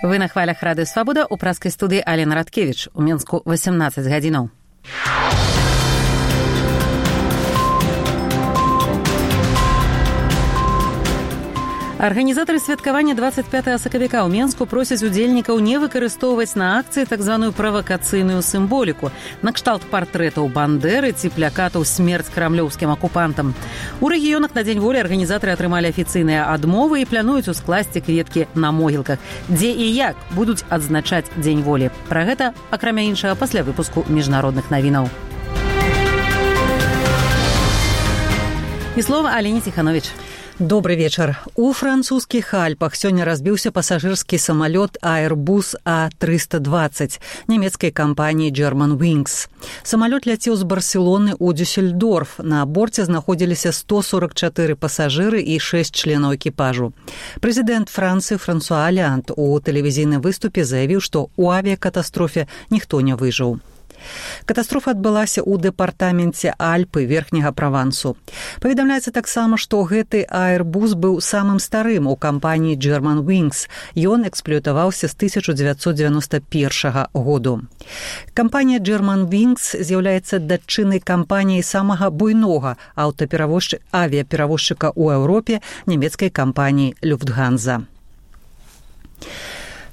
Вы на хвалях Радыё Свабода, у праскай студыі Алена Радкевіч. У Мінску 18 гадзінаў. Арганізатары святкавання 25 сакавіка ў Менску просяць удзельнікаў не выкарыстоўваць на акцыі так званую правакацыйную сімволіку, накшталт партрэтаў Бандеры ці плакатаў «Смерць крамлёўскім акупантам». У рэгіёнах на Дзень волі арганізатары атрымалі афіцыйныя адмовы і плануюць ускласці кветкі на могілках. Дзе і як будуць адзначаць Дзень волі. Пра гэта, акрамя іншага, пасля выпуску міжнародных навінаў. І слова Алене Ціхановіч. Добрый вечар. У французскіх Альпах сёння разбіўся пасажырскі самалёт Airbus A320 нямецкай кампаніі Germanwings. Самалёт ляцеў з Барселоны ў Дюссельдорф. На борце знаходзіліся 144 пасажыры і 6 членаў экіпажу. Прэзідэнт Францыі Франсуа Оланд у тэлевізійным выступе заявіў, што ў авіякатастрофе ніхто не выжыў. Катастрофа адбылася ў дэпартаменце Альпы верхняга Правансу. Паведамляецца таксама, што гэты Airbus быў самым старым у кампаніі Germanwings. Ён эксплуатаваўся з 1991 году. Кампанія Germanwings з'яўляецца датчыннай кампаніяй самага буйнога авіаперавозчыка ў Еўропе, нямецкай кампаніі Люфтганза.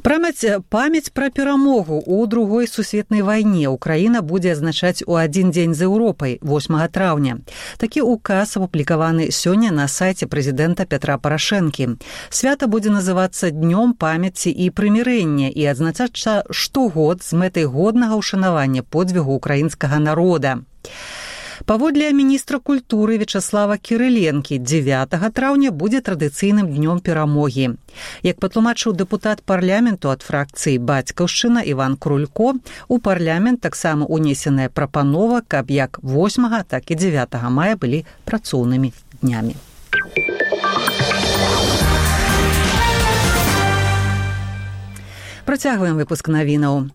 Памяць пра перамогу ў Другой сусветнай вайне Украіна будзе адзначаць у адзін дзень з Еўропай, 8 траўня. Такі указ апублікаваны сёння на сайце прэзідэнта Пятра Парашэнкі. Свята будзе называцца Днём памяці і прымірэння і адзначацца штогод з мэтай годнага ўшанавання подзвігу украінскага народа. Паводле міністра культуры Вячаслава Кірыленкі, 9 траўня будзе традыцыйным днём перамогі. Як патлумачыў дэпутат парламенту ад фракцыі «Бацькаўшчына» Іван Крулько, у парламент таксама унесеная прапанова, каб як 8, так і 9 мая былі працоўнымі днямі. Працягваем выпуск навінаў.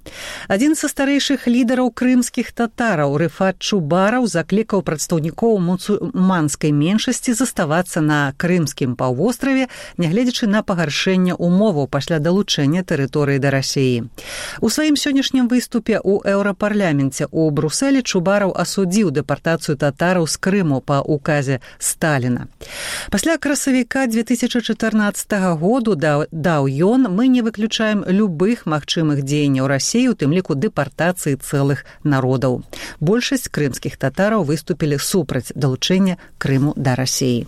Адзін са старэйшых лідараў крымскіх татараў Рыфат Чубараў заклікаў прадстаўнікоў мусульманскай меншасці заставацца на крымскім паўвостраве, нягледзячы на пагаршэнне ўмоваў пасля далучэння тэрыторыі да Расіі. У сваім сённяшнім выступе ў Еўрапарламенце ў Брусэлі Чубараў асудзіў дэпартацыю татараў з Крыму па указе Сталіна. Пасля красавіка 2014 году даў ён, мы не выключаем любых магчымых дзеянняў Расіі, у тым ліку дэпартацыі цэлых народаў. Большасць крымскіх татараў выступілі супраць далучэння Крыму да Расіі.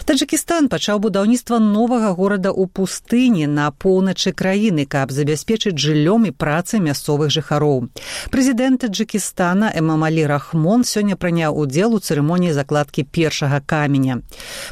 Таджыкістан пачаў будаўніцтва новага горада ў пустыні на поўначы краіны, каб забяспечыць жыллём і працай мясцовых жыхароў. Прэзідэнт Таджыкістана Эмамалі Рахмон сёння прыняў удзел у цырымоніі закладкі першага каменя.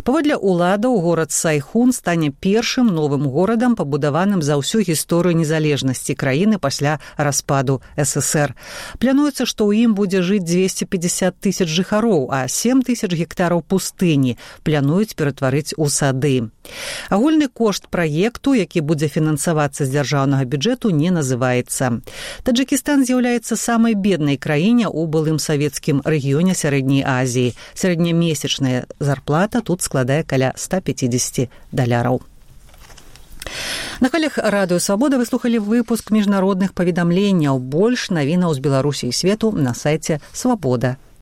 Паводле ўладаў, горад Сайхун стане першым новым горадам, пабудаваным за ўсю гісторыю незалежнасці краіны пасля распаду ССР. Плануецца, што ў ім будзе жыць 250 тысяч жыхароў, а 7 тысяч гектараў пустыні плануюць ператварыць у сады. Агульны кошт праекту, які будзе фінансавацца з дзяржаўнага бюджэту, не называецца. Таджыкістан з'яўляецца самай беднай краіне ў былым савецкім рэгіёне Сярэдняй Азіі. Сярэднямесячная зарплата тут складае каля $150. На хвалях Радыё Свабода вы слухалі выпуск міжнародных паведамленняў. Больш навінаў з Беларусі і свету на сайце Свабода.